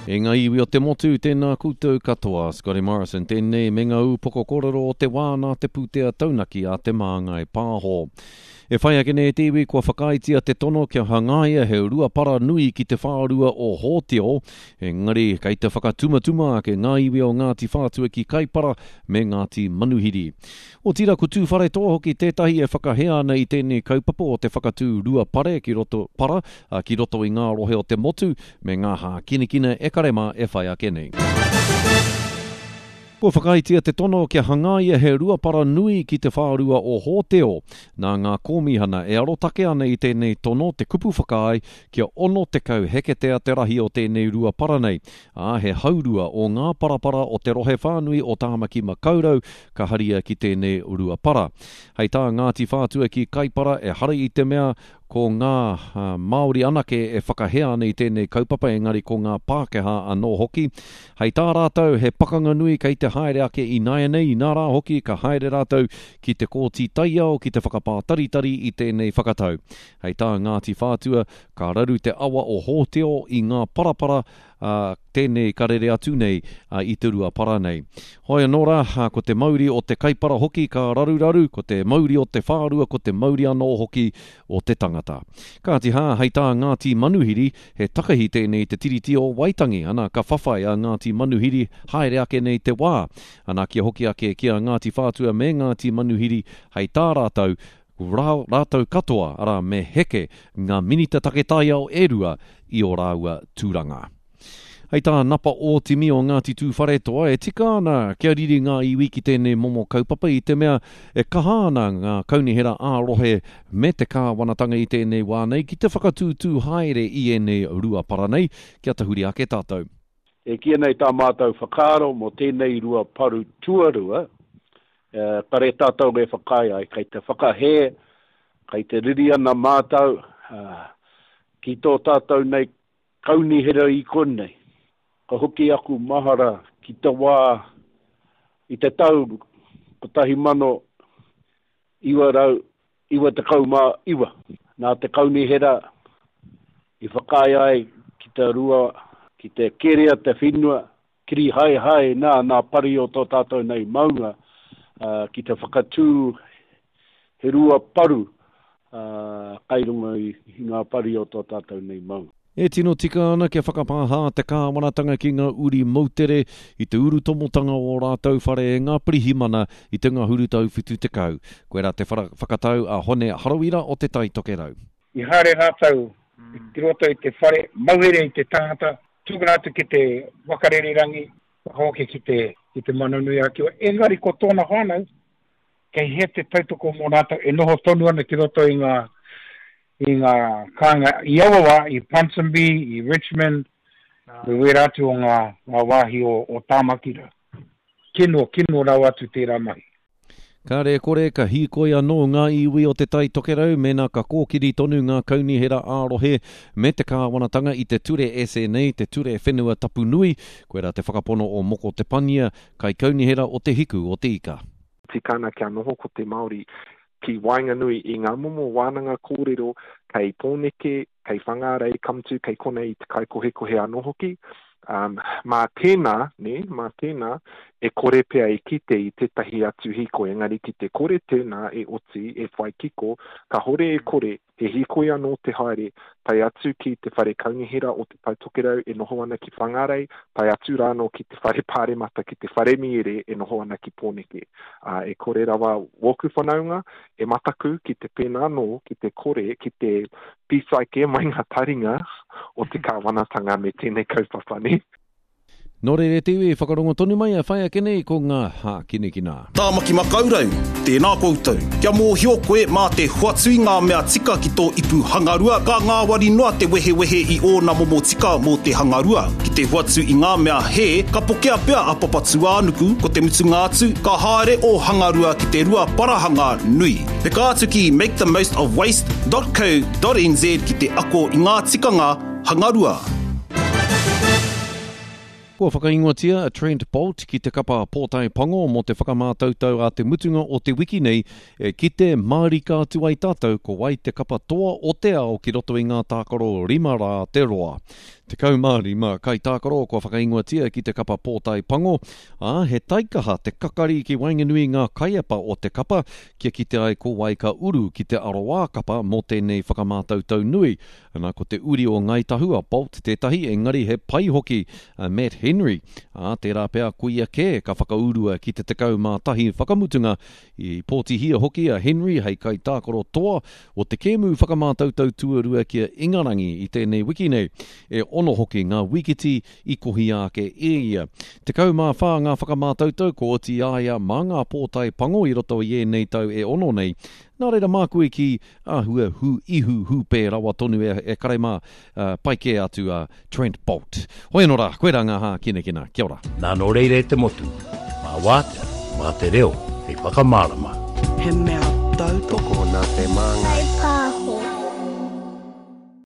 E ngā iwi o te motu, tēnā koutou katoa. Scotty Morrison tēnei me ngā ūpoko kōrero o te wā nā te pūtea taunaki a Te Māngai Pāho. E whai ake nei te iwi kua whakaaetia te tono kia hangaia he ruapara nui ki te whārua o Hōteo, engari kei te whakatumatuma ake ngā iwi o Ngāti Whātua ki Kaipara me Ngāti Manuhiri. Otirā ko Tūwharetoa hoki tētahi e whakahē ana i tēnei kaupapa o te whakatū rua pare ki roto, para, ki roto i ngā rohe o te motu me ngā hākinakina e kare mā e whai ake nei. Kua whakaaetia te tono kia hangaia he ruapara nui ki te whārua o Hōteo. Nā ngā kōmihana e arotake ana i tēnei tono te kupu whakaae kia 60 heketea te rahi o tēnei ruapara nei, ā, he haurua o ngā parapara o te rohe whānui o Tāmaki Makaurau ka haria ki tēnei ruapara. Hei tā Ngāti Whātua ki Kaipara, ehara i te mea ko ngā Māori anake e whakahē ana i tēnei kaupapa engari ko ngā Pākehā anō hoki. Hei tā rātou he pakanga nui kei te haere ake ināianei, inā rā hoki ka haere rātou ki te Kōti Taiao ki te whakapātaritari i tēnei whakatau. Hei tā Ngāti Whātua, ka raru te awa o Hōteo i ngā parapara, ā, tēnei ka rere atu nei i te rua para nei. Hoi anō rā, ko te mauri o te kaipara hoki ka raruraru, ko te mauri o te whārua, ko te mauri anō hoki o te tangata. Kāti hā, hei tā Ngāti Manuhiri, he takahi tēnei i te Tiriti o Waitangi, ana ka whawhai a Ngāti Manuhiri haere ake nei te wā. Ana kia hoki ake ki a Ngāti Whātua me Ngāti Manuhiri, hei tā rātou, Rā, rātou katoa, arā, me heke ngā minita take taiao e rua i ō rāua tūranga. Hei tā Napa Ōtimi o Ngāti Tūwharetoa, e tika ana kia riri ngā iwi ki tēnei momo kaupapa i te mea e kaha ana ngā kaunihera ā-rohe me te kāwanatanga i tēnei wā nei ki te whakatūtū haere i ēnei ruapara nei kia tahuri ake tātou. E kīia nei tā mātou whakaaro mō tēnei ruaparu tuarua, Kare tātou e whakaae ai, kei te whakahē, kei te riri ana mātou ki tō tātou nei kaunihera i konei. Ka hoki aku mahara ki te wā i te tau 1999, nā te kaunihera i whakaae ai ki te rua, ki te kerea te whenua, Kiri haehae nā nā pari o tō tātou nei maunga ki te whakatū he rua paru kai runga i ngā pari o tō tātou nei maunga. E tino tika ana kia whakapāha te kāwanatanga ki ngā uri moutere i te urutomotanga o ō rātou whare e ngā pirihimana i te ngahuru tau 70. Koirā te whakatau a Hone Harawira o Te Tai Tokerau. I haere rātou ki roto i te whare, mauhere i te tangata, Tukuna atu ki te waka rererangi, whakahoki ki te, ki te Moana-nui-a-Kiwa. Engari ko tōna whānau, kei hea te tautoko mō rātou e noho tonu ana ki roto i ngā, i ngā kāinga i aua wā, i Ponsonby, i Richmond, me wērā atu o ngā, ngā wāhi o, o Tāmaki rā. Kino, kino rawa atu tērā mahi. Kāre e kore, ka hīkoi anō ngā iwi o Te Tai Tokerau mēnā ka kōkiri tonu ngā kaunihera ā-rohe me te kāwanatanga i te ture SNA, te Ture Whenua Tapu Nui, koirā te whakapono o Moko Te Pania, kaikaunihera o Te Hiku o Te Ika. Tika ana kia noho ko te Māori ki waenganui i ngā momo wānanga kōrero kei Pōneke, kei Whangārei, ka mutu kei konei i te kaikohekohe anō hoki. Um, mā tēnā, nē, mā tēnā, e kore pea e kite i tētahi atu hīkoi, engari ki te kore tēnā e oti, e whai kiko, kāhore e kore, he hīkoi anō te haere, tae atu ki te Whare Kaunihera o Te Tai Tokerau e noho ana ki Whangārei, tae atu rānō ki te Whare Pāremata, ki te Whare Mīere e noho ana ki Pōneke. Ā, e kore rawa wōku whanaunga e mataku ki te pēnā anō, ki te kore, ki te pītai kē mai ngā taringa o te kāwanatanga me tēnei kaupapa, nē. Nō reira e te iwi, whakarongo tonu mai e whai ake nei ko ngā hākinakina. Tāmaki Makaurau, tēnā koutou. Kia mōhio koe mā te hoatu i ngā mea tika ki tō ipu hangarua, ka ngāwari noa te wehewehe i ōna momo tika mō te hangarua. Ki te hoatu i ngā mea hē, ka pokea pea a Papatūānuku, ko te mutunga atu, ka haere ō hangarua ki te rua parahanga nui. Peka atu ki makethemost-of-waste.co.nz ki te ako i ngā tikanga hangarua. Kua whakaingoatia a Trent Boult ki te kapa Pōtae Pango mō te whakamātautau a te mutunga o te wiki nei e kite mārika atu ai tātou ko wai te kapa toa o te ao ki roto i ngā tākaro rima rā te roa. 15 kaitākaro kua whakaingoatia ki te kapa pōtae pango, ā, he taikaha te kakari ki waenganui i ngā kaiepa o te kapa kia kite ai ko wai ka uru ki te aroā kapa mō tēnei whakamātautau nui. Ana, ko te uri o Ngāi Tahu a Bolt tētahi, engari he pai hoki a Matt Henry, ā, tērā pea ko ia kē ka whakaurua ki te 11 whakamutunga I pōtihia hoki a Henry hei kaitākaro toa o te kēmu whakamātautau tuarua ki a Ingarangi i tēnei wiki nei. E ono hoki ngā wikiti i kohia ake e ia. 14 ngā whakamātautau kua oti i a ia mā ngā pōtae pango i roto i ēnei tau e ono nei. Nā reira māku e kī, āhua hū ihu hūpē rawa tonu e, e kare mā, pai kē atu a Trent Boult. Hoi anō rā, koirā ngā hākinakina. Kia ora. Nā nō reira e te motu, mā wātea, mā te reo hei whakamārama. He mea tautoko. Tokona te māngai.